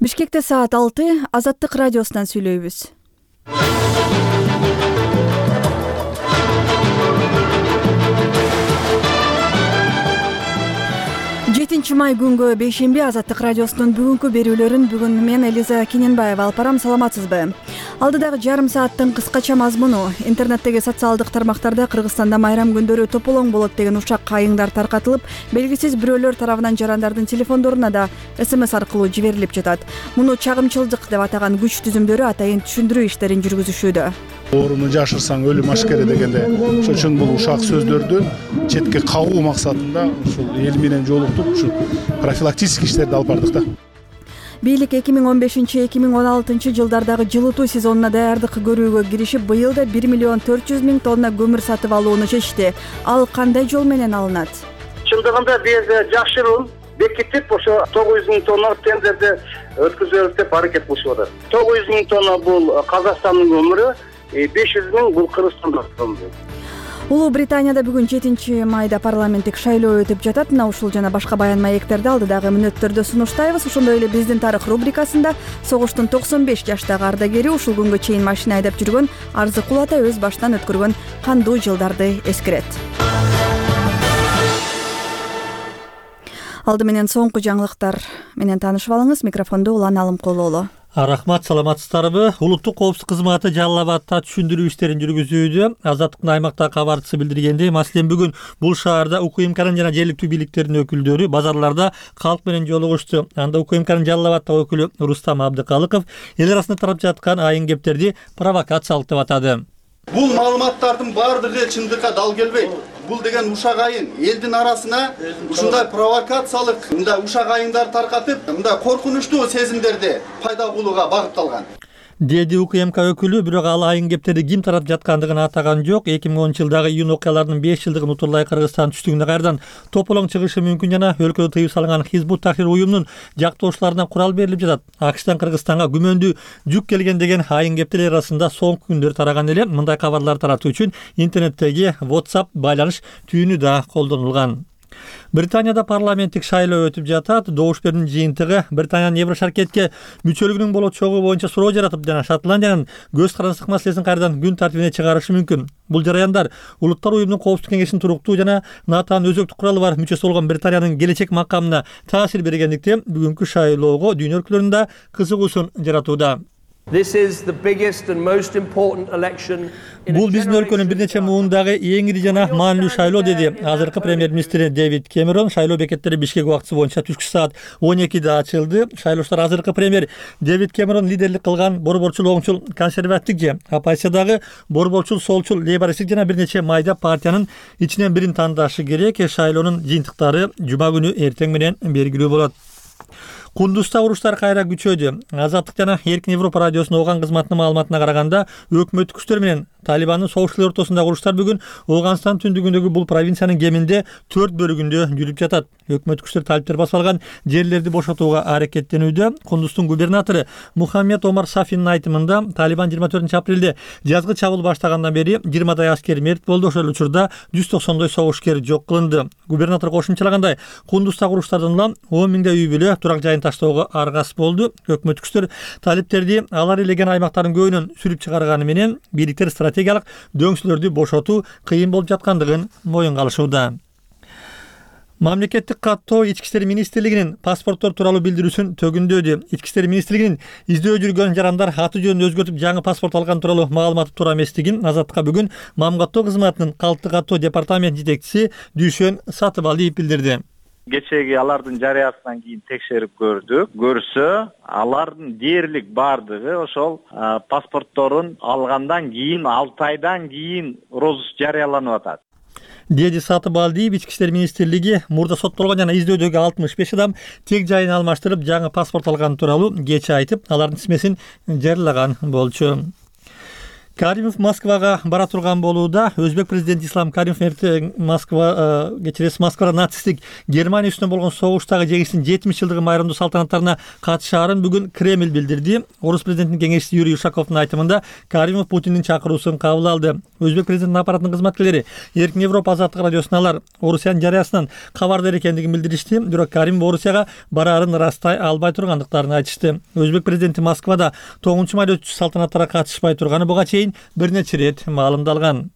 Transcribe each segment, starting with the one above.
Бишкекте саат 6, Азаттык радиосунан сүйлөйбүз. 7 май күнгө бейшемби Азаттык радиосунун бүгүнкү берүүлөрүн бүгүн мен Элиза Кененбаева алып барам. Саламатсызбы? Алдыдагы жарым сааттын кыскача мазмуну: интернеттеги социалдык тармактарда Кыргызстанда майрам күндөрү тополоң болот деген ушак кайыңдар таркатылып, белгисиз бирөөлөр тарабынан жарандардын телефондоруна да СМС аркылуу жиберилип жатат. Муну чагымчылдык деп атаган күч түзүмдөрү атайын түшүндүрүү иштерин жүргүзүшүүдө. Ооруну жашырсаң өлүм ашкере дегенде, ошон үчүн бул ушак сөздөрдү четке кагуу максатында ушул эл менен жолуктуп, ушу профилактический иштерди алып бардык да. Бийлик 2015-2016 жылдардагы жылытуу сезонуна даярдык көрүүгө киришип, быйыл да 1 миллион 400 миң тонна көмүр сатып алууну чечти. Ал кандай жол менен алынат? Чындыгында биз жакшыруун бекитип, ошо 900 миң тонна тендерди өткүзөбүз деп аракет кылышып атат. 900 миң тонна бул Казакстандын көмүрү, 500 миң бул Кыргызстандын көмүрү. Улуу Британияда бүгүн 7 майда парламенттик шайлоо өтүп жатат. Мына ушул жана башка баян маектерди алдыдагы мүнөттөрдө сунуштайбыз. Ошондой эле биздин тарых рубрикасында согуштун 95 жаштагы ардагери, ушул күнгө чейин машина айдап жүргөн Арзыкул ата өз башынан өткөргөн кандуу жылдарды эскерет. Алды менен соңку жаңылыктар менен таанышып алыңыз. Микрофонду Улан Алымкулуулу. Рахмат, саламатсыздарбы? Улуттук коопсуздук кызматы Жалал Абадта түшүндүрүү иштерин жүргүзүүдө. Азаттыктын аймактагы кабарчысы билдиргендей, маселен бүгүн бул шаарда УКМКнын жана жергиликтүү бийликтердин өкүлдөрү базарларда калк менен жолугушту. Анда УКМКнын Жалал Абадтагы өкүлү Рустам Абдыкалыков эл арасында тарап жаткан айын кептерди провокациялык деп атады. Бул маалыматтардын баардыгы чындыкка дал келбейт. Бул деген ушак айын элдин арасына ушундай провокациялык, мындай ушак айыңдар таркатып, мындай коркунучтуу сезимдерди пайда кылууга багытталган. Деди УКМК өкүлү, бирок ал айын кептерди ким таратып жаткандыгын атаган жок. 2010-жылдагы июнь окуяларынын 5 жылдыгын утурлай Кыргызстан түштүгүнө кайрадан тополоң чыгышы мүмкүн жана өлкөдө тыюу салынган Хизбут Тахрир уюмунун жактоочуларына курал берилип жатат. АКШтан Кыргызстанга күмөндүү жүк келген деген айын кептер арасында соңку күндөр тараган эле. Мындай кабарлар таратуу үчүн интернеттеги WhatsApp байланыш түйүнү да колдонулган. Британияда парламенттик шайлоо өтүп жатат. Добуш берүүнүн жыйынтыгы Британиянын Евро шаркетке мүчөлүгүнүн болочогу боюнча суроо жаратып жана Шотландиянын көз карандык маселесин кайрадан күн тартибине чыгарышы мүмкүн. Бул жараяндар Улуттар уюмунун коопсуздук кеңешинин туруктуу жана натаан өзөктүк куралы бар мүчөсү болгон Британиянын келечек макамына таасир бергендиктен бүгүнкү шайлоого дүйнө өлкөлөрүндө кызыгуусун жаратууда. Бул биздин өлкөнүн бир нече муундагы эң ири жана маанилүү шайлоо, деди азыркы премьер-министри Дэвид Кэмерон. Шайлоо бекеттери Бишкек убактысы боюнча түшкү саат 12-де ачылды. Шайлоочулар азыркы премьер Дэвид Кэмерон лидерлик кылган борборчул оңчул консервативдик же оппозициядагы борборчул солчул лейбористтик жана бир нече майда партиянын ичинен бирин тандашы керек. Шайлоонун жыйынтыктары жума күнү эртең менен белгилүү болот. Кундузда уруштар кайра күчөдү. Азаттык жана Эркин Европа радиосунун Ооган кызматынын маалыматына караганда, өкмөттүк күчтөр менен Талибандын согуштуулар ортосундагы уруштар бүгүн Ооганстан түндүгүндөгү бул провинциянын кеминде 4 бөлүгүндө жүрүп жатат. Өкмөттүк күчтөр талиптер басып алган жерлерди бошотууга аракеттенүүдө. Кундуздун губернатору Мухаммед Омар Сафинин айтымында, Талибан 24 апрелде жазгы чабуул баштагандан бери 20дай аскер мерт болду. Ошол учурда 190 согушкер жок кылынды. Губернатор кошумчалагандай, Кундуздагы уруштардан улам 10 миңдей үй бүлө турак жайын таштоого аргасыз болду. Өкмөттүк күчтөр талиптерди алар элеген аймактардын көбүнөн сүрүп чыгарганы менен бийликтер стратегиялык дөңсүлөрдү бошотуу кыйын болуп жаткандыгын моюнга алышууда. Мамлекеттик каттоо Ички иштер министрлигинин паспорттор тууралуу билдирүүсүн төгүндөдү. Ички иштер министрлигинин издөө жүргөн жарандар аты жөнүн өзгөртүп жаңы паспорт алган тууралуу маалыматы туура эместигин Азаттыкка бүгүн Мамгаттоо кызматынын калкты каттоо департамент жетекчиси Дүйшөн Сатыбалиев билдирди. Кечеги алардын жарыясынан кийин текшерип көрсө, алардын дээрлик бардыгы ошол паспортторун алгандан кийин 6 айдан кийин розыск жарыяланып атат. Деди Сатыбалиев, Ички иштер министрлиги мурда соттолгон жана издөөдөгү 65 адам тег жайын алмаштырып жаңы паспорт алган тууралуу кечээ айтып, алардын исмесин жарыялаган болчу. Каримов Москвага бара турган болууда. Өзбек президенти Ислам Каримов эртең Москвада нацисттик Германия үстүнөн болгон согуштагы жеңишинин 70 жылдыгы майрамдуу салтанаттарына катышаарын бүгүн Кремль билдирди. Орус президентинин кеңешчиси Юрий Ушаковдун айтымында Каримов Путиндин чакыруусун кабыл алды. Өзбек президентинин аппаратынын кызматкерлери Эркин Европа азаттык радиосуналар Орусиянын жарыясынан кабардар экендигин билдиришти. Бирок Каримов Орусияга бараарын ырастай албай тургандыктарын айтышты. Өзбек президенти Москвада 9 майда өтүүчү салтанаттарга катышпай турганы буга чейин бир нече ирет маалымдалган.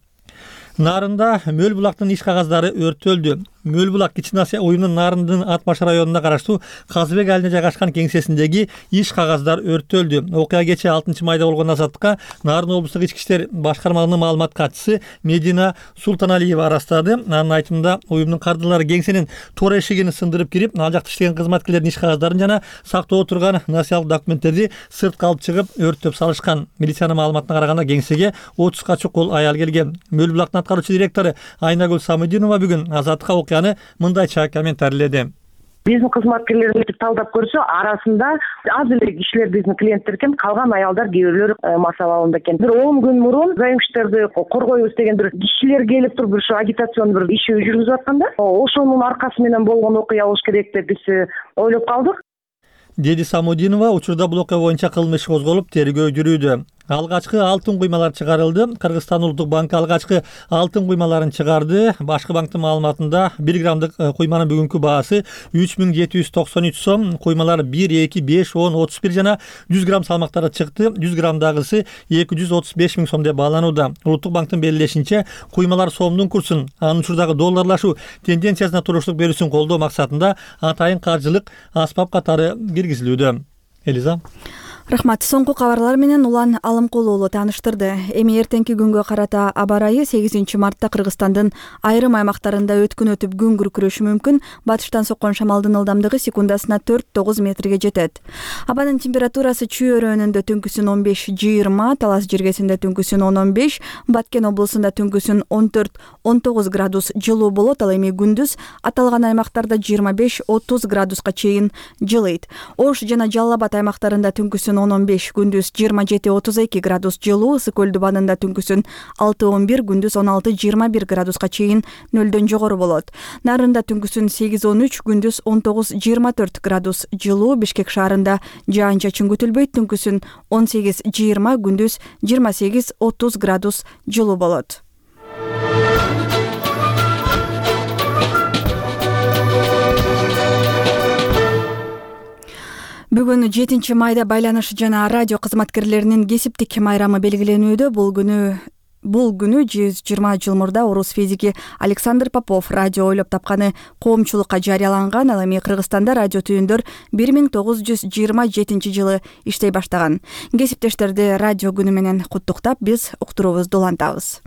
Нарында Мөл булактын иш кагаздары өрттөлдү. Мөл булак Кичине Асия уюмунун Нарындын Атбаш районуна караштуу Казыбек айылына жайгашкан кеңсесиндеги иш кагаздар өрттөлдү. Окуя кечээ 6 майда болгон. Азаттыкка Нарын облустук ички иштер башкармалыгынын маалымат катчысы Медина Султаналиева арастады. Анын айтымында уюмдун кардылары кеңсенин тор эшигин сындырып кирип, ал жакта иштеген кызматкерлердин иш кагаздарын жана сактоо турган насыялык документтерди сыртка алып чыгып өрттөп салышкан. Милициянын маалыматына караганда кеңсеге 30га чукул аял келген. Мөл булактын аткаруучу директору Айнагүл Самыдинова бүгүн Азаттыкка окуяны мындайча комментарийледи. Биздин кызматкерлер өтүп талдап көрсө, арасында аз эле кишилер биздин клиенттер экен, калган аялдар кээ бирлери мас абалында экен. Бир 10 күн мурун заимчитерди коргойбуз деген бир кишилер келип туруп бир агитацион бир иши жүргүзүп атканда, ошонун аркасы менен болгон окуя болуш керек деп биз ойлоп калдык. Деди Самудинова, учурда бул окуя боюнча кылмыш козголуп, тергөө жүрүүдө. Алгачкы алтын куймалар чыгарылды. Кыргызстан Улуттук банкы алгачкы алтын куймаларын чыгарды. Башкы банктын маалыматында 1 граммдык куйманын бүгүнкү баасы 3793 сом. Куймалар 1, 2, 5, 10, 31 жана 100 грамм салмактары чыкты. 100 граммдагысы 235 миң сом деп бааланууда. Улуттук банктын белгилешинче, куймалар сомдун курсун, анын учурдагы долларлашуу тенденциясына туруштук берүүсүн колдоо максатында атайын каржылык аспап катары киргизилүүдө. Элиза. Рахмат. Соңку кабарлар менен Улан Алымкул уулу тааныштырды. Эми эртеңки күнгө карата аба ырайы 8 мартта Кыргызстандын айрым аймактарында өткүн өтүп күн күркүрөшү мүмкүн. Батыштан соккон шамалдын ылдамдыгы секундасына 4-9 метрге жетет. Абанын температурасы Чүй өрөөнүндө түнкүсүн 15-20, Талас жергесинде түнкүсүн 10-15, Баткен облусунда түнкүсүн 14-19 градус жылуу болот. Ал эми күндүз аталган аймактарда 25-30 градуска чейин жылыйт. Ош жана Жалал Абад аймактарында түнкүсүн 15, күндүз 27-32 градус жылуу, Ысык Көлдү банында түнкүсүн 6-11, күндүз 16-21 градуска чейин нөлдөн жогору болот. Нарында түнкүсүн 8-13, күндүз 19-24 градус жылуу, Бишкек шаарында жаан-чачын күтүлбөйт, түнкүсүн 18-20, күндүз 28-30 градус жылуу болот. Бүгүн 7 майда байланыш жана радио кызматкерлеринин кесиптик майрамы белгиленүүдө. Бул күнү 120 жыл мурда орус физики Александр Попов радио ойлоп тапканы коомчулукка жарыяланган. Ал эми Кыргызстанда радио түйүндөр 1927 жылы иштей баштаган. Кесиптештерди радио күнү менен куттуктап, биз уктуруубузду улантабыз.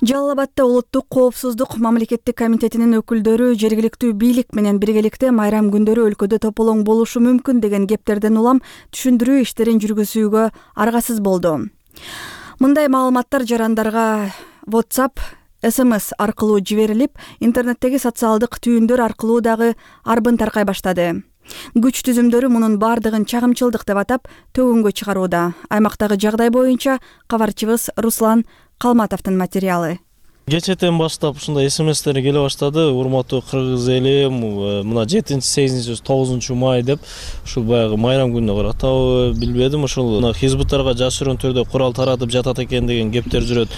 Жалал Абадта улуттук коопсуздук мамлекеттик комитетинин өкүлдөрү жергиликтүү бийлик менен биргеликте майрам күндөрү өлкөдө тополоң болушу мүмкүн деген кептерден улам түшүндүрүү иштерин жүргүзүүгө аргасыз болду. Мындай маалыматтар жарандарга WhatsApp, SMS аркылуу жиберилип, интернеттеги социалдык түйүндөр аркылуу дагы арбын таркай баштады. Күч түзүмдөрү мунун бардыгын чагымчылдык деп атап төгүнгө чыгарууда. Аймактагы жагдай боюнча кабарчыбыз Руслан Калматовдун материалы. Кечетен баштап ушундай SMS-тер келе баштады. Урматтуу кыргыз эли, мына 7, 8, 9 май деп ушул баягы майрам күнүнө карата билбедим. Ушул хизбуттарга жашыруун түрдө курал таратып жатат экен деген кептер жүрөт.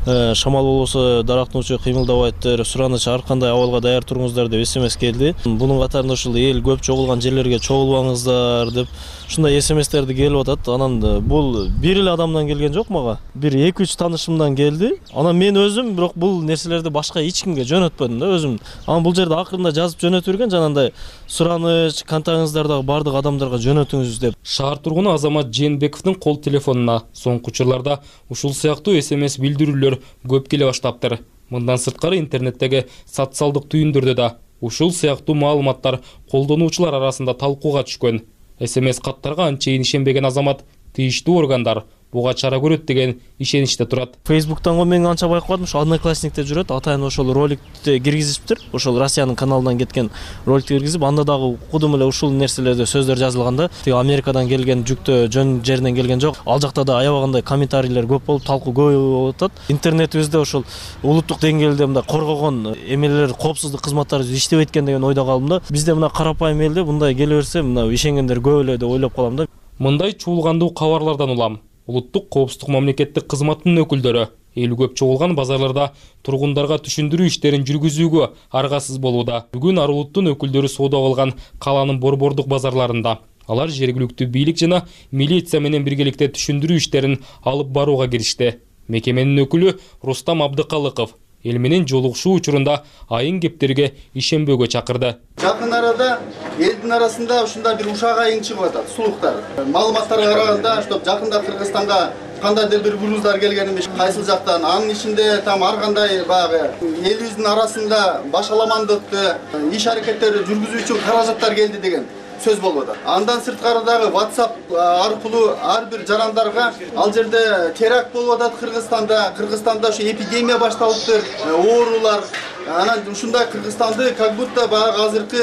Шамал болбосо дарактын учу кыймылдабайттыр, сураныч ар кандай абалга даяр туруңуздар деп SMS келди. Бунун катарында ушул эл көп чогулган жерлерге чогулбаңыздар деп ушундай SMS-терди келип атат. Анан бул бир эле адамдан келген жок мага. Бир 2-3 таанышымдан келди. Анан мен өзүм бирок бул нерселерди башка эч кимге жөнөтпөдүм да өзүм. Анан бул жерде акырында жазып жөнөтүп берген жанагындай сураныч, контактыңыздардагы бардык адамдарга жөнөтүңүз деп. Шаар тургуну Азамат Жээнбековдун кол телефонуна соңку учурларда ушул сыяктуу SMS билдирүүлөр көп келе баштаптыр. Мындан сырткары интернеттеги социалдык түйүндөрдө да ушул сыяктуу маалыматтар колдонуучулар арасында талкууга түшкөн. SMS каттарга анчейин ишенбеген Азамат тийиштүү органдар буга чара көрөт деген ишеничте турат. Facebook'tan го мен анча байкабадым, ошо Одноклассникте жүрөт. Атайын ошол роликти киргизиптир. Ошол Россиянын каналынан кеткен роликти киргизип, анда дагы укудум эле ушул нерселерде сөздөр жазылганда, тиги Америкадан келген жүктө жөн жеринен келген жок. Ал жакта да аябагандай комментарийлер көп болуп, талкуу көп болуп атат. Интернетибизде ошол улуттук деңгээлде мындай коргогон эмелер, коопсуздук кызматтары иштебейт экен деген ойдо калдым да. Бизде мына карапайым элде мындай келе берсе, мына ишенгендер көп эле деп ойлоп калам да. Мындай чуулгандуу кабарлардан улам улуттук коопсуздук мамлекеттик кызматынын өкүлдөрү эл көп чогулган базарларда тургундарга түшүндүрүү иштерин жүргүзүүгө аргасыз болууда. Бүгүн Арулуттун өкүлдөрү соода кылган каланын борбордук базарларында. Алар жергиликтүү бийлик жана милиция менен биргеликте түшүндүрүү иштерин алып барууга киришти. Мекеменин өкүлү Рустам Абдыкалыков эл менен жолугушуу учурунда айын кептерге ишенбөөгө чакырды. Жакын арада элдин арасында ушундай бир ушак айың чыгып атат, сулуктар. Маалыматтарга караганда, что жакында Кыргызстанга кандайдыр бир груздар келген эмес, кайсыл жактан. Анын ичинде там ар кандай баягы элибиздин арасында башаламандыкты, иш аракеттери жүргүзүү үчүн каражаттар келди деген сөз болуп атат. Андан сырткары дагы WhatsApp аркылуу ар бир жарандарга ал жерде теракт болуп атат Кыргызстанда ушу эпидемия башталыптыр, оорулар. Анан ушундай Кыргызстанды как будто баягы азыркы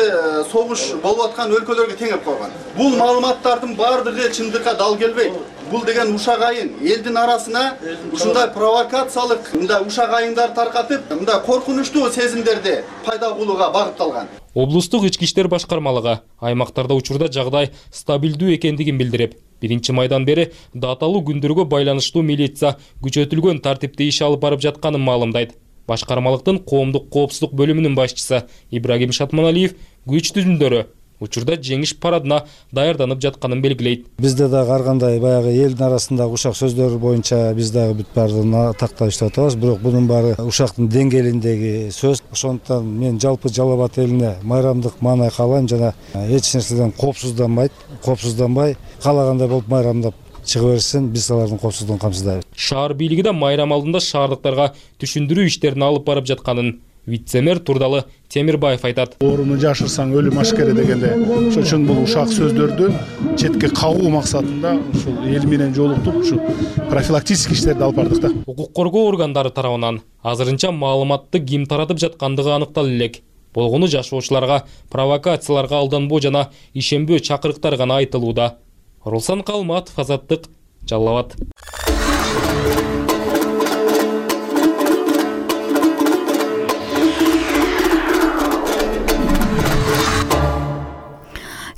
согуш болуп аткан өлкөлөргө теңеп койгон. Бул маалыматтардын бардыгы чындыкка дал келбейт. Бул деген ушак айын элдин арасына ушундай провокациялык мындай ушак айыңдар таркатып, мындай коркунучтуу сезимдерди пайда кылууга багытталган. Облустук ички иштер башкармалыгы аймактарда учурда жагдай стабилдүү экендигин билдирип, 1-майдан бери даталуу күндөргө байланыштуу милиция күчөтүлгөн тартипте иш алып барып жатканын маалымдайт. Башкармалыктын коомдук коопсуздук бөлүмүнүн башчысы Ибрагим Шатманалиев күч түзүмдөрү учурда жеңиш парадына даярданып жатканын белгилейт. Бизде дагы ар кандай баягы элдин арасындагы ушак сөздөр боюнча биз дагы бүт баардыгын тактап иштеп атабыз, бирок бунун баары ушактын деңгээлиндеги сөз. Ошондуктан мен жалпы Жалал Абад элине майрамдык маанай каалайм жана эч нерседен коопсузданбай каалагандай болуп майрамдап чыга берсин, биз алардын коопсуздугун камсыздайбыз. Шаар бийлиги да майрам алдында шаардыктарга түшүндүрүү иштерин алып барып жатканын вице-мэр Турдалы Темирбаев айтат. Ооруну жашырсаң өлүм ашкере дегенде, ошон үчүн бул ушак сөздөрдү четке кагуу максатында ушул эл менен жолуктуп, ушу профилактический иштерди алып бардык да. Укук коргоо органдары тарабынан азырынча маалыматты ким таратып жаткандыгы аныктала элек. Болгону жашоочуларга провокацияларга алданбоо жана ишенбөө чакырыктар гана айтылууда. Руслан Калматов, Азаттык, Жалал Абад.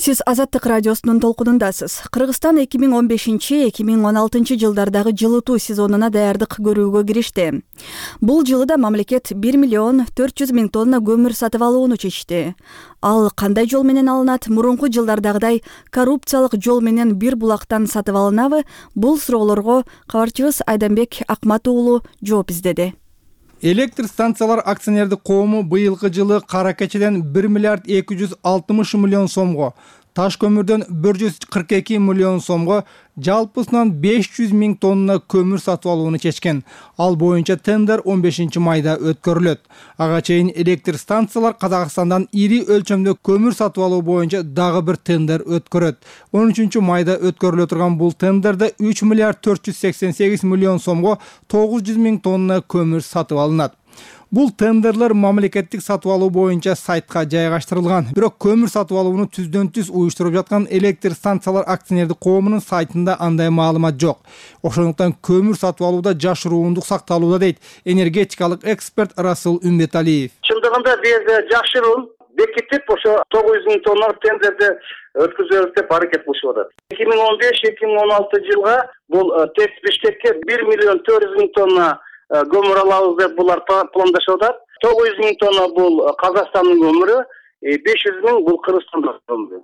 Сиз Азаттык радиосунун толкунундасыз. Кыргызстан 2015-2016 жылдардагы жылытуу сезонуна даярдык көрүүгө киришти. Бул жылы да мамлекет 1,4 миллион тонна көмүр сатып алууну чечти. Ал кандай жол менен алынат? Мурунку жылдардагыдай коррупциялык жол менен бир булактан сатып алынабы? Бул суроолорго кабарчыбыз Айданбек Акмат уулу жооп издеди. Электр станциялар акционердик коому быйылкы жылы кара кечеден 1,260 миллион сомго, таш көмүрдөн 142 миллион сомго, жалпысынан 500 000 тонна көмүр сатып алууну чечкен. Ал боюнча тендер 15-майда өткөрүлөт. Ага чейин электр станциялар Казакстандан ири өлчөмдө көмүр сатып алуу боюнча дагы бир тендер өткөрөт. 13-майда өткөрүлө турган бул тендерде 3,488 миллион сомго 900 000 тонна көмүр сатып алынат. Бул тендерлер мамлекеттик сатып алуу боюнча сайтка жайгаштырылган. Бирок көмүр сатып алууну түздөн-түз уюштуруп жаткан электр станциялар акционердик коомунун сайтында андай маалымат жок. Ошондуктан көмүр сатып алууда жашыруундук сакталууда дейт энергетикалык эксперт Расул Умбеталиев. Чындыгында биз жакшыруун бекитип ошо 900 000 тонна тендерди өткүзөбүз деп аракет кылышып атат. 2015-2016 жылга бул тест Бишкекке 1,4 миллион тонна көмүр алабыз деп булар пландашып атат. 900 000 тонна бул Казакстандын көмүрү, 500 000 бул Кыргызстандын көмүрү.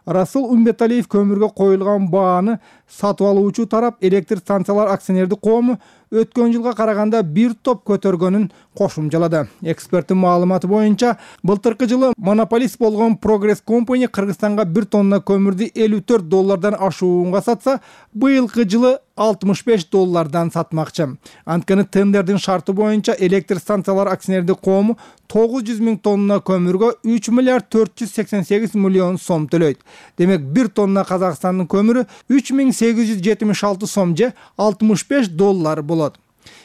Расул Умбеталиев көмүргө коюлган бааны сатып алуучу тарап электр станциялар акционердик коому өткөн жылга караганда бир топ көтөргөнүн кошумчалады. Эксперттин маалыматы боюнча, былтыркы жылы монополист болгон Progress Company Кыргызстанга 1 тонна көмүрдү $54 ашуунга сатса, быйылкы жылы $65 сатмакчы. Анткени тендердин шарты боюнча электр станциялар акционердик коому 900 000 тонна көмүргө 3 миллиард 488 миллион сом төлөйт. Демек 1 тонна Казакстандын көмүрү 3876 сом же $65 болот.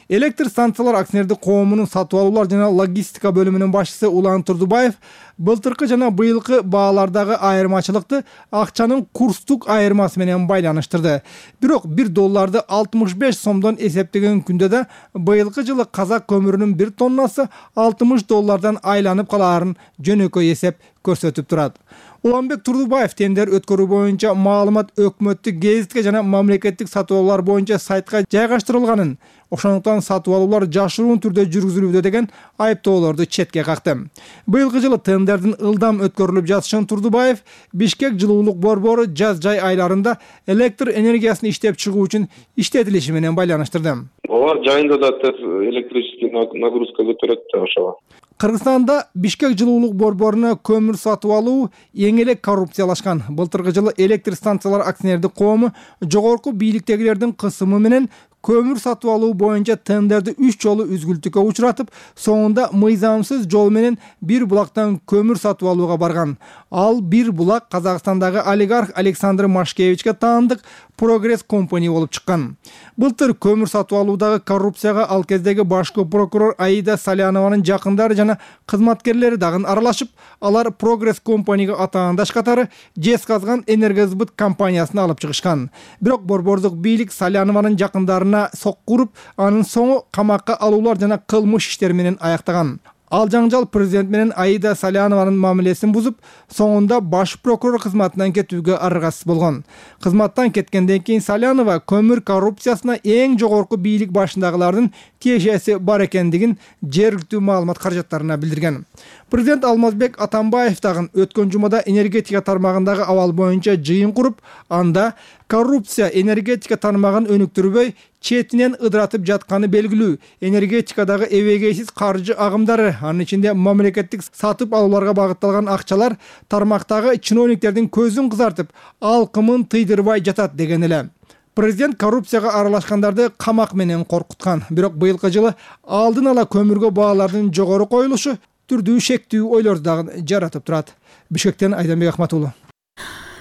Электр станциялар акционердик коомунун сатып алуулар жана логистика бөлүмүнүн башчысы Улан Турдубаев былтыркы жана быйылкы баалардагы айырмачылыкты акчанын курстук айырмасы менен байланыштырды. Бирок $1 65 сомдон эсептеген күндө да быйылкы жылы казак көмүрүнүн 1 тоннасы $60 айланып калаарын жөнөкөй эсеп көрсөтүп турат. Уланбек Турдубаев тендер өткөрүү боюнча маалымат өкмөттүк гезитке жана мамлекеттик сатып алуулар боюнча сайтка жайгаштырылганын, ошондуктан сатып алуулар жашыруун түрдө жүргүзүлүүдө деген айыптоолорду четке какты. Быйылкы жылы тендердин ылдам өткөрүлүп жатышын Турдубаев Бишкек жылуулук борбору жаз-жай айларында электр энергиясын иштеп чыгуу үчүн иштетилиши менен байланыштырды. Алар жайында да электрический нагрузка көтөрөт да ошого. Кыргызстанда Бишкек жылуулук борборуна көмүр сатып алуу эң эле коррупциялашкан. Былтыркы жылы электр станциялар акционердик коому жогорку бийликтегилердин кысымы менен көмүр сатып алуу боюнча тендерди 3 жолу үзгүлтүккө учуратып, соңунда мыйзамсыз жол менен бир булактан көмүр сатып алууга барган. Ал бир булак Казакстандагы олигарх Александр Машкевичке таандык Progress Company болуп чыккан. Былтыр көмүр сатып алуудагы коррупцияга ал кездеги башкы прокурор Аида Салянованын жакындары жана кызматкерлери дагы аралашып, алар Progress Company'га атаандаш катары Жезказган энергосбыт компаниясын алып чыгышкан. Бирок борбордук бийлик Салянованын жакындарына соккуруп, анын соңу камакка алуулар жана кылмыш иштери менен аяктаган. Ал жаңжал президент менен Аида Салянованын мамилесин бузуп, соңунда баш прокурор кызматынан кетүүгө аргасыз болгон. Кызматтан кеткенден кийин Салянова көмүр коррупциясына эң жогорку бийлик башындагылардын тиешеси бар экендигин жергиликтүү маалымат каражаттарына билдирген. Президент Алмазбек Атамбаев дагы өткөн жумада энергетика тармагындагы абал боюнча жыйын куруп, анда коррупция энергетика тармагын өнүктүрбөй, четинен ыдыратып жатканы белгилүү. Энергетикадагы эбегейсиз каржы агымдары, анын ичинде мамлекеттик сатып алууларга багытталган акчалар тармактагы чиновниктердин көзүн кызартып, алкымын тыйдырбай жатат деген эле. Президент коррупцияга аралашкандарды камак менен коркуткан. Бирок быйылкы жылы алдын ала көмүргө баалардын жогору коюлушу түрдүү шектүү ойлорду дагы жаратып турат. Бишкектен Айданбек Ахматуллу.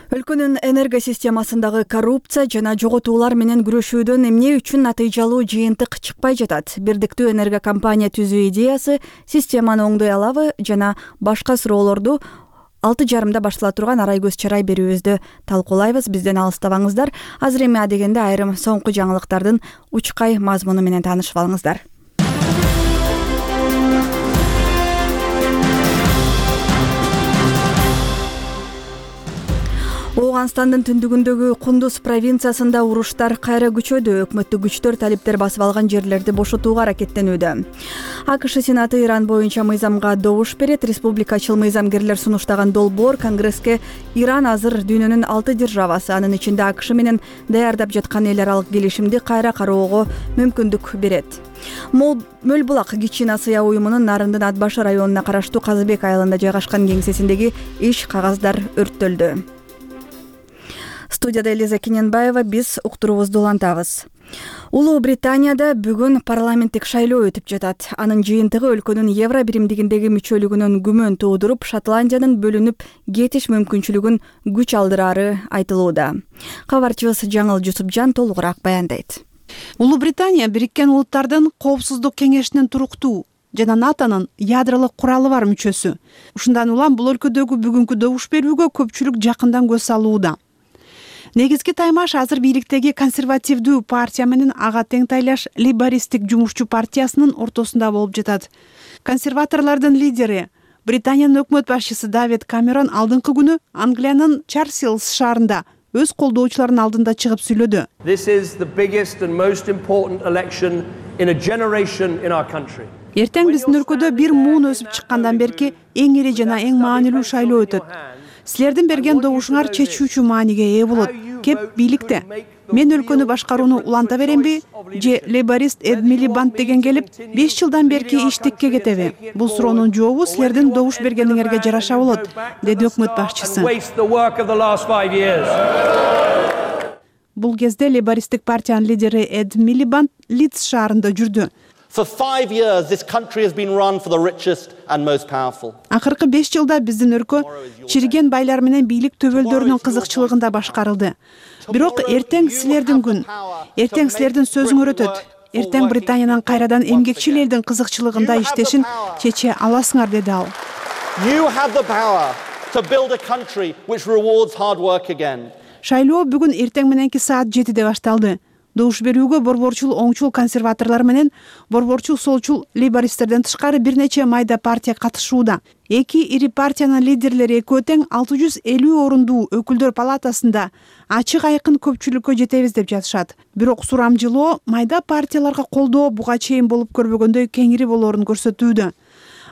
Өлкөнүн энергосистемасындагы коррупция жана жоготуулар менен күрөшүүдөн эмне үчүн натыйжалуу жыйынтык чыкпай жатат? Бирдиктүү энергокомпания түзүү идеясы системаны оңдой алабы жана башка суроолорду 6:30 баштала турган Арайгөз чарай берүүбүздө талкуулайбыз. Бизден алыстабаңыздар. Азыр эми адегенде айрым соңку жаңылыктардын учкай мазмуну менен таанышып алыңыздар. Ооганстандын түндүгүндөгү Кундуз провинциясында уруштар кайра күчөдү. Өкмөттүк күчтөр талиптер басып алган жерлерди бошотууга аракеттенүүдө. АКШ Сенаты Иран боюнча мыйзамга добуш берет. Республикачыл мыйзамгерлер сунуштаган долбоор Конгресске Иран азыр дүйнөнүн 6 державасы, анын ичинде АКШ менен даярдап жаткан эл аралык келишимди кайра кароого мүмкүндүк берет. Мөлбулак Кичина сыя уюмунун Нарындын Атбашы районуна караштуу Казыбек айылында жайгашкан кеңсесиндеги иш кагаздар өрттөлдү. Студияда Элиза Кененбаева, биз уктуруубузду улантабыз. Улуу Британияда бүгүн парламенттик шайлоо өтүп жатат. Анын жыйынтыгы өлкөнүн евро биримдигиндеги мүчөлүгүнөн күмөн туудуруп, Шотландиянын бөлүнүп кетиш мүмкүнчүлүгүн күч алдырары айтылууда. Кабарчыбыз Жаңыл Жусупжан толугураак баяндайт. Улуу Британия Бириккен Улуттардын Коопсуздук кеңешинин туруктуу жана НАТОнун ядролук куралы бар мүчөсү. Ушундан улам бул өлкөдөгү бүгүнкү добуш берүүгө көпчүлүк жакындан көз салууда. Негизги таймаш азыр бийликтеги консервативдүү партия менен ага тең тайлаш лейбористтик жумушчу партиясынын ортосунда болуп жатат. Консерваторлордун лидери Британиянын өкмөт башчысы Давид Камерон алдыңкы күнү Англиянын Чарсилс шаарында өз колдоочуларынын алдында чыгып сүйлөдү. Эртең биздин өлкөдө бир муун өсүп чыккандан берки эң ири жана эң маанилүү шайлоо өтөт. Силердин берген добушуңар чечүүчү мааниге ээ болот. Кеп бийликте. мен өлкөнү башкарууну уланта беремби же лейборист Эд Милибанд деген келип 5 жылдан берки иштикке кетеби? Бул суроонун жообу силердин добуш бергениңерге жараша болот, деди өкмөт башчысы. Бул кезде лейбористтик партиянын лидери Эд Милибанд Лидс шаарында жүрдү. Акыркы 5 жылда биздин өлкө чириген байлар менен бийлик төбөлдөрүнүн кызыкчылыгында башкарылды. Бирок эртең силердин күн, эртең силердин сөзүңөр өтөт. Эртең Британиянын кайрадан эмгекчил элдин кызыкчылыгында иштешин чече аласыңар, деди ал. Шайлоо бүгүн эртең мененки саат 7-де башталды. Добуш берүүгө борборчул оңчул консерваторлор менен борборчул солчул лейбористтерден тышкары бир нече майда партия катышууда. Эки ири партиянын лидерлери экөө тең 650 орундуу өкүлдөр палатасында ачык айкын көпчүлүккө жетебиз деп жатышат. Бирок сурамжылоо майда партияларга колдоо буга чейин болуп көрбөгөндөй кеңири болоорун көрсөтүүдө.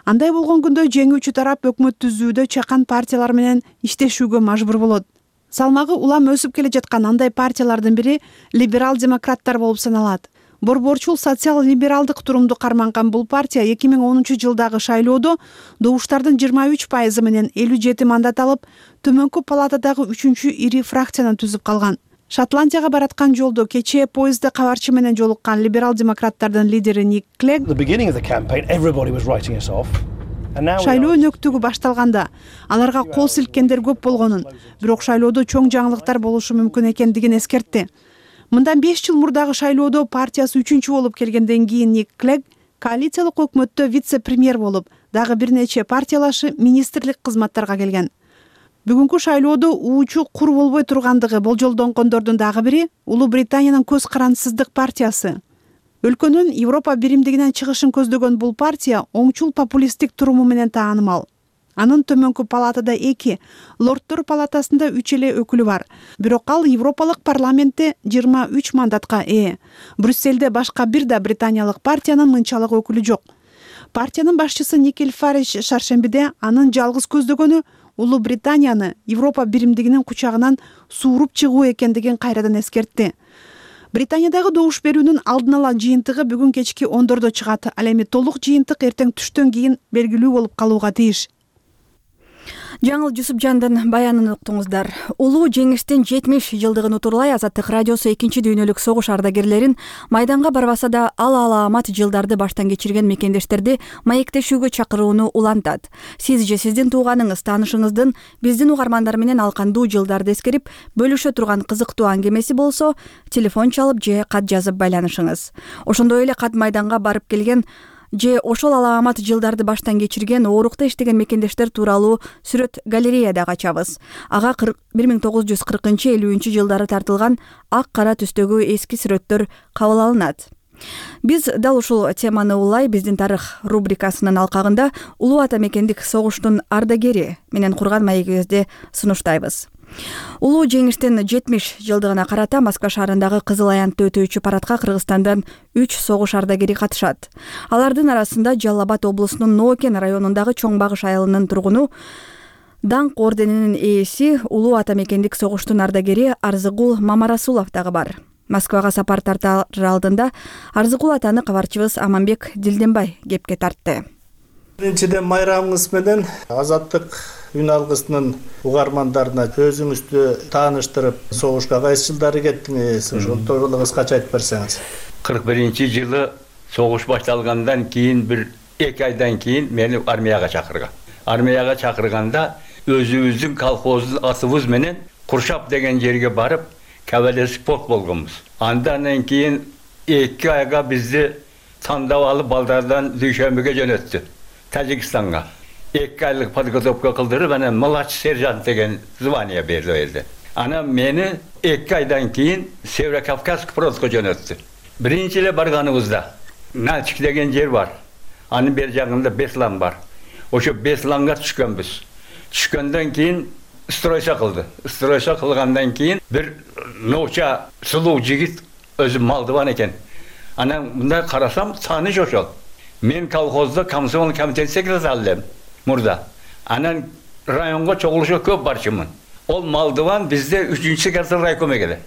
Андай болгон күндө жеңүүчү тарап өкмөт түзүүдө чакан партиялар менен иштешүүгө мажбур болот. Салмагы улам өсүп келе жаткан андай партиялардын бири либерал-демократтар болуп саналат. Борборчул социал-либералдык турумду карманган бул партия 2010-жылдагы шайлоодо добуштардын 23% менен 57 мандат алып, төмөнкү палатадагы 3-чү ири фракцияны түзүп калган. Шотландияга бараткан жолдо кечээ поездде кабарчы менен жолуккан либерал-демократтардын лидери Ник Клег шайлоо өнөктүгү башталганда аларга кол силккендер көп болгонун, бирок шайлоодо чоң жаңылыктар болушу мүмкүн экендигин эскертти. Мындан 5 жыл мурдагы шайлоодо партиясы 3-чү болуп келгенден кийин Ник Клег коалициялык өкмөттө вице-премьер болуп, дагы бир нече партиялашы министрлик кызматтарга келген. Бүгүнкү шайлоодо уучу кур болбой тургандыгы болжолдонгондордун дагы бири Улуу Британиянын көз карансыздык партиясы. Өлкөнүн Европа биримдигинен чыгышын көздөгөн бул партия оңчул популисттик туруму менен таанымал. Анын төмөнкү палатада 2, лордтор палатасында 3 эле өкүлү бар. Бирок ал Европалык парламентте 23 мандатка ээ. Брюсселде башка бир да британиялык партиянын мынчалык өкүлү жок. Партиянын башчысы Никел Фариш шаршембиде анын жалгыз көздөгөнү Улуу Британияны Европа биримдигинин кучагынан сууруп чыгуу экендигин кайрадан эскертти. Британиядагы добуш берүүнүн алдын ала жыйынтыгы бүгүн кечки 10:00 чыгат. Ал эми толук жыйынтык эртең түштөн кийин белгилүү болуп калууга тийиш. Жаңыл Жусупжандын баянын уктуңуздар. Улуу жеңиштин 70 жылдыгын утурлай Азаттык радиосу 2-чи дүйнөлүк согуш ардагерлерин майданга барбаса да алаамат жылдарды баштан кечирген мекендештерди маектешүүгө чакырууну улантат. Сиз же сиздин тууганыңыз, таанышыңыздын биздин угармандар менен ал кандуу жылдарды эскерип бөлүшө турган кызыктуу аңгемеси болсо, телефон чалып же кат жазып байланышыңыз. Ошондой эле кат майданга барып келген же ошол алаамат жылдарды баштан кечирген, оорукта иштеген мекендештер тууралуу сүрөт галереяда ачабыз. Ага 1940-50 жылдары тартылган ак кара түстөгү эски сүрөттөр кабыл алынат. Биз дал ушул теманы улай биздин тарых рубрикасынын алкагында Улуу ата мекендик согуштун ардагери менен курган маегибизди сунуштайбыз. Улуу жеңиштин 70 жылдыгына карата Москва шаарындагы Кызыл аянтты өтөөчү парадка Кыргызстандан 3 согуш ардагери катышат. Алардын арасында Жалал Абад облусунун Ноокен районундагы Чоң Багыш айылынын тургуну, Даңк орденинин ээси, Улуу ата мекендик согуштун ардагери Арзыгул Мамарасулов дагы бар. Москвага сапар тартар алдында Арзыгул атаны кабарчыбыз Аманбек Дилденбай кепке тартты. Биринчиден майрамыңыз менен Азаттык үн алгысынын угармандарына өзүңүздү тааныштырып, согушка кайсы жылдары кеттиңиз? Ошол тууралуу кыскача айтып берсеңиз. 41-жылы согуш башталгандан кийин бир 2 айдан кийин мени армияга чакырган. Армияга чакырганда өзүбүздүн колхоздун атыбыз менен Куршап деген жерге барып, кавалерский полк болгонбуз. Андан кийин 2 айга бизди тандап алып балдардан Дүйшөмбөгө жөнөттү, Тажикстанга. 2 айлык подготовка кылдырып, анан младший сержант деген звание берди элде. Анан мени 2 айдан кийин Северо-Кавказский фронтко жөнөттү. Биринчи эле барганыбызда Начик деген жер бар. Анын бер жагында Беслан бар. Ошо Бесланга түшкөнбүз. Түшкөндөн кийин стройша кылды. Стройша кылгандан кийин бир новча сулуу жигит өзү малдыбан экен. Анан мындай карасам, тааныш ошол. Мен колхозда комсомол комитет секретары элем мурда. Анан районго чогулушка көп барчымын. Ол малдыбан бизде 3-секретар райком экен.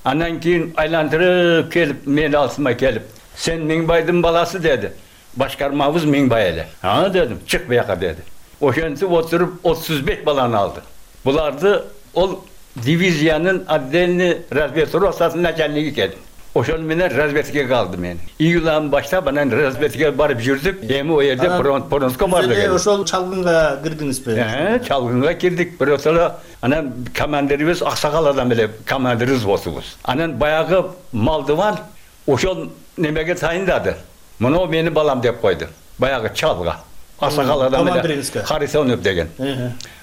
Андан кийин айландырып келип, мени алсыма келип, "Сен Миңбайдын баласы" деди. "Башкармабыз Миңбай эле." "А" дедим, "Чык буяка" деди. Ошентип отуруп 35 баланы алды. Буларды ол дивизиянын отдельный разведротасынын начальниги экен. Ошол менен разведкага алды мени. Июлдан баштап анан разведкага барып жүрдүк. Эми о жерде Бронска бардык. Сиз ошол чалгынга кирдиңизби? Чалгынга кирдик. Бирок анан командирибиз аксакал адам эле командирибиз болсубуз. Анан баягы Малдыбан ошол немеге тайындады. Муну мени балам деп койду. Баягы чалга. Аксакал адам эле Харисонов деген.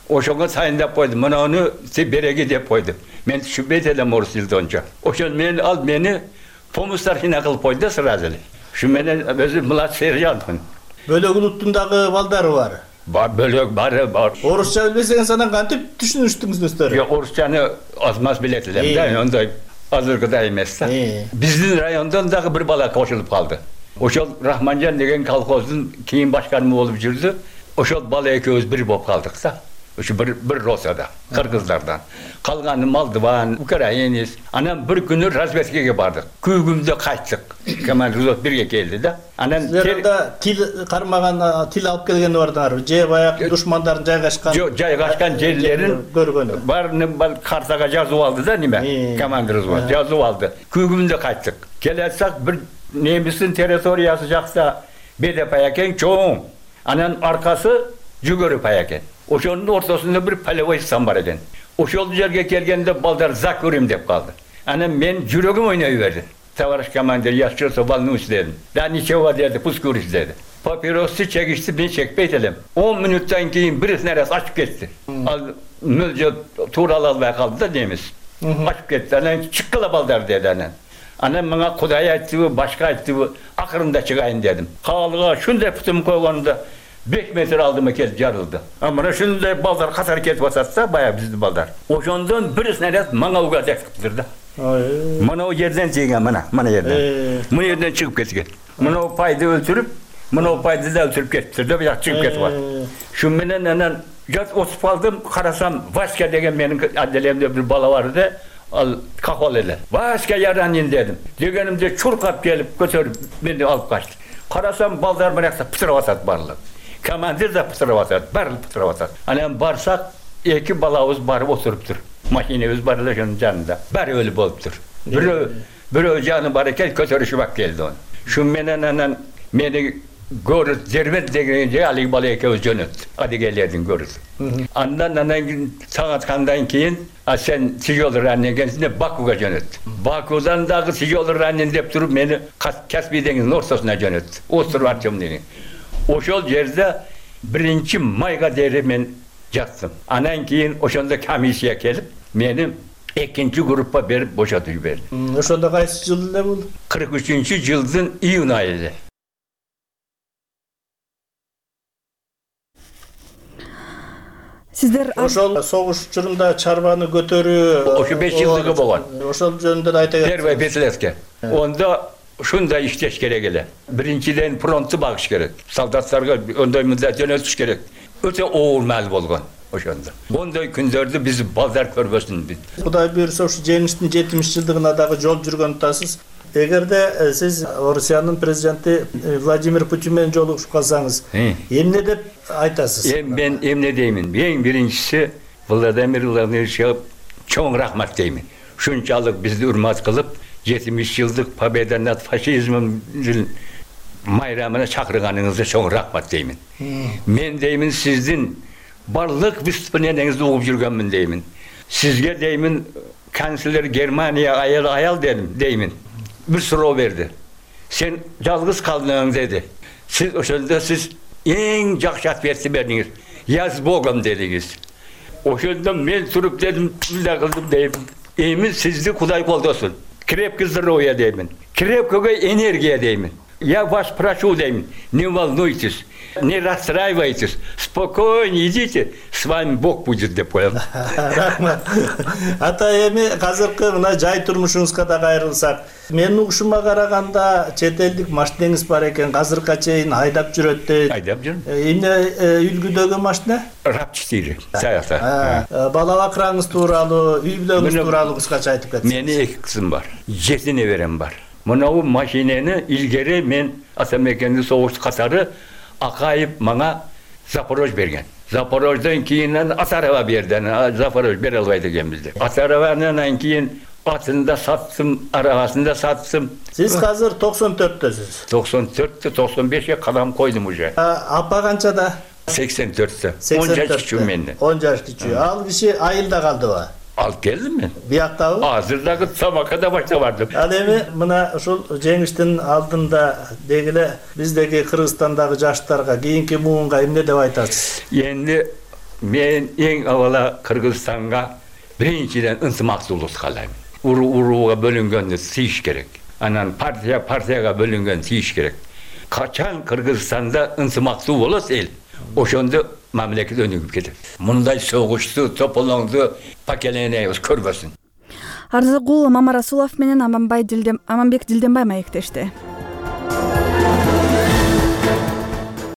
Ошого тайындап койду. Муну сиз береги деп койду. Мен түшүнбөйт элем орус тилде онча. Ошол мени помустархина кылып койду сразу эле. Ушу менен өзү младший сержантмын. Бөлөк улуттун дагы балдары бар. Бөлөк бар. Орусча билбесеңиз анан кантип түшүнүштүңүздөр? Жок, орусчаны азмаз билет элем да, ондай азыркыдай эмес да. Биздин райондон дагы бир бала кошулуп калды. Ошол Рахманжан деген колхоздун кийин башкарма болуп жүрдү. Ошол бала экөөбүз бир болуп калдык да. Ушу бир росада, кыргыздардан. Калганы Малдыбан, украинец. Анан бир күнү разведкага бардык. Күгүмдө кайттык. Командир бирге келди да. Анан тил кармаган, тил алып келген бардыңарбы? Же баягы душмандардын жайгашкан? Жок, жайгашкан жерлерин көргөнү. Баарын картага жазып алды да, неме? Командир жазып алды. Күгүмдө кайттык. Келесак бир немистин территориясы жакта бедепай экен, чоң. Анан аркасы жүгөрү пай экен. Ошонун ортосунда бир полевой стан бар экен. Ошол жерге келгенде балдар закурим деп калды. Анан мен жүрөгүм ойной берди. Товарищ командир, я что-то волнуюсь дедим. Да ничего деди, пусть курить деди. Папиросты чегишти, мен чекпейт элем. 10 мүнөттөн кийин бир нерсе ачып кетти. Ал мөлжө туурала албай калды да немис. Ачып кетти. Анан чыккыла балдар деди анан. Анан мага Кудай айтты, башка айтты, акырында чыгайын дедим. Калга шундай путум койгонда 5 метр алдыма келип жарылды. Мына шундай балдар катар кетип атса, баягы биздин балдар. Ошондон бир снаряд мага уга тескиптир да. Мына о жерден тийген, мына жерден. Мына жерден чыгып кеткен. Мына пайды өлтүрүп, мына пайды да өлтүрүп кетиптир да, бияк чыгып кетип атты. Шу менен анан жат отуп калдым, карасам Васька деген менин отделемде бир бала бар да, ал кахол эле. Васька яранин дедим. Дегенимде чуркап келип көтөрүп мени алып качты. Карасам балдар биракса пытырып атат барлык. Командир да пытырып атат, баары пытырып атат. Анан барсак, эки балабыз барып отуруптур. Машинебиз бар эле ошонун жанында. Баары өлүп болуптур. Бирөө жаны бар экен, көтөрүшүп ак келди оны. Шу менен анан мени көрүп Дербент деген же алиги бала экөөбүз жөнөттү. Адегелердин көрүп. Андан таң аткандан кийин, сен тяжелый ранен экенсиң деп Бакуга жөнөттү. Бакудан дагы тяжелый ранен деп туруп мени Каспий деңизинин ортосуна жөнөттү. Остров Артем деген. Ошол жерде 1 майга дейин мен жаттым. Анан кийин ошондо комиссия келип, мени 2-группа берип бошотуп жиберди. Ошондо кайсы жыл эле бул? 43-жылдын июнь айы. Сиздер ошол согуш учурунда чарбаны көтөрүү, ошо 5 жылдыгы болгон. Ошол жөнүндө айта кетсеңиз. Первый Бетлеске. Ондо ушундай иштеш керек эле. Биринчиден фронтту багыш керек. Солдаттарга ондой мындай жөнөтүш керек. Өтө оор маал болгон ошондо. Ондой күндөрдү биз балдар көрбөсүн. Кудай буйрса ушу жеңиштин 70-жылдыгына дагы жол жүргөн атасыз. Эгерде сиз Орусиянын президенти Владимир Путин менен жолугушуп калсаңыз, эмне деп айтасыз? Мен эмне деймин? Эң биринчиси Владимир Владимировичке чоң рахмат деймин. Ушунчалык бизди урмат кылып, 70 жылдык победа над фашизмом майрамына чакырганыңызга чоң рахмат деймин. Мен деймин сиздин барлык выступлениеңизди угуп жүргөнмүн деймин. Сизге деймин канцлер Германия аял деймин. Bir суроо берди. Сен жалгыз калдың деди. Сиз ошондо сиз эң жакшы ответ бердиңиз. Я с Богом дедиңиз. Ошондо мен туруп дедим, мындай кылдым деймин. Эми сизди Кудай колдосун. Крепкий здоровье деймин. Крепкого энергия деймин. Я вас прошу, дейм, не волнуйтесь, не расстраивайтесь, спокойно идите, с вами Бог будет деп коем. Рахмат. Ата эми азыркы мына жай турмушуңузга да кайрылсак, менин угушума караганда чет элдик машинеңиз бар экен, азыркыга чейин айдап жүрөт дейт. Айдап жүрөм. Эмне үлгүдөгү машина? RAV4 Саяса. Бала бакыраңыз тууралуу, үй бүлөңүз тууралуу кыскача айтып кетсиңиз. Менин 2 кызым бар, 7 неберем бар. Мынау машинени илгери мен Атамекенди согуш катары Акаев мага Запорож берген. Запорождон кийин Атарова берди. Запорож бере албайт экенбиз деп. Атараванан кийин атында саттым, арабасында саттым. Сиз азыр 94төсүз. 94-тө 95ке кадам койдум уже. Апа канчада? 84-тө. 10 жаш кичүү менден. 10 жаш кичүү. Ал киши айылда калдыбы? Алып келдим мен. Бияктабы? Азырдагы тамакада башта бардым. Ал эми мына ушул жеңиштин алдында дегиле биздеги Кыргызстандагы жаштарга, кийинки муунга эмне деп айтасыз? Энди мен эң авала Кыргызстанга биринчиден ынтымактуулук каалайм. Урууга бөлүнгөндү тийиш керек. Анан партияга бөлүнгөн тийиш керек. Качан Кыргызстанда ынтымактуу болот эл, ошондо мамлекет өнүгүп кетет. Мындай согушту, тополоңду поколениябыз көрбөсүн. Арзыкул Мамарасулов менен Аманбек Дилденбай маектешти.